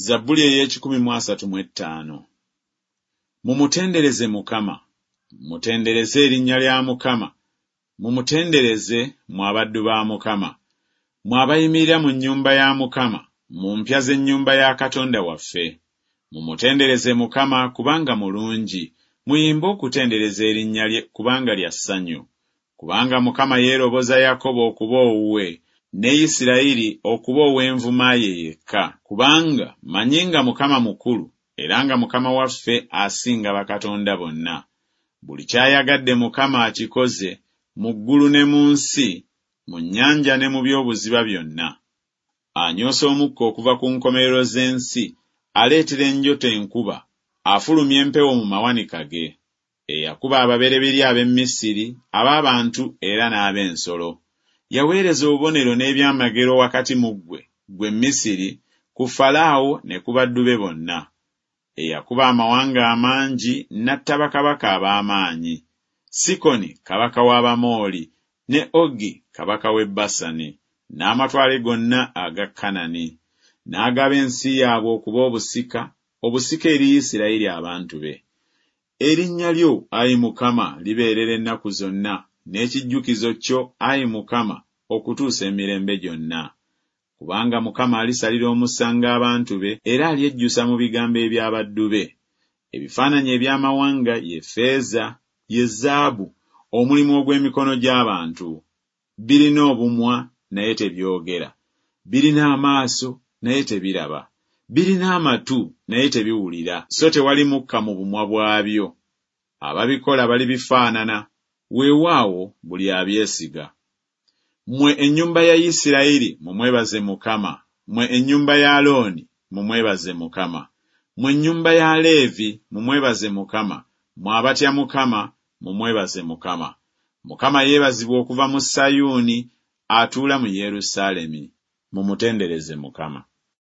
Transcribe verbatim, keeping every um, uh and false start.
Zabbuli ey'ekikumi mu asatu mu ettaano. Mumutendereze Mukama, mutendereze erinnya lya Mukama, mumutendereze mmwe abaddu ba Mukama, mmwe abayimirira mu nnyumba ya Mukama, mu mpya z'ennyumba ya Katonda waffe. Mumutendereze Mukama kubanga mulungi, muyimbe okutendereza erinnya lye kubanga lya ssanyu. Kubanga Mukama yeeroboza Yakobo okuba owuwe, ne Isirayiri okuba ow'envuma ye yekka. Kubanga mmanyi nga Mukama mukulu, era nga Mukama waffe asinga bakatonda bonna. Buli ky'ayagadde Mukama akikoze, mu ggulu ne mu nsi, mu nnyanja ne mu by'obuziba byonna. Anyoosa omukka okuva ku nkomerero z'ensi, aleetera enjota enkuba, afulumya empewo mu mawanika ge. Eyakuba ababereberye ab'e Misiri, ab'abantu era n'ab'ensolo. Yaweereza obubonero n'ebyamagero wakati mu ggwe, ggwe Misiri, ku Falaawo ne ku baddu be bonna. Eyakuba amawanga amangi n'atta bakabaka ab'amaanyi. Sikoni kabaka w'Abamooli, ne Ogi kabaka w'e Basani, n'amatwale gonna aga Kanani. N'agaba ensi yaabwe okuba obusika, obusika eri Isirayiri abantu be. Erinnya lyo, ayi Mukama, libeerera ennaku zonna, n'ekijjukizo kyo, ayi Mukama, okutuusa emirembe gyonna. Kubanga Mukama alisalira omusango abantu be, era alyejjusa mu bigambo eby'abaddu be. Ebifaananyi eby'amawanga ye ffeeza, ye zaabu, omulimu ogw'emikono gy'abantu. Birina obumwa, naye tebyogera. Birina amaaso, naye tebiraba. Birina amatu, naye tebiwulira, so tewali mukka mu bumwa bwabyo. Ababikola balibifaanana, weewaawo buli abyesiga. Mmwe ennyumba ya Isirayiri mumwebaze Mukama, mmwe ennyumba ya Alooni mumwebaze Mukama. Mmwe ennyumba ya Leevi mumwebaze Mukama, mmwe abatya Mukama mumwebaze Mukama. Mukama yeebazibwe okuva mu Sayuuni, atuula mu Yerusaalemi. Mumutendereze Mukama.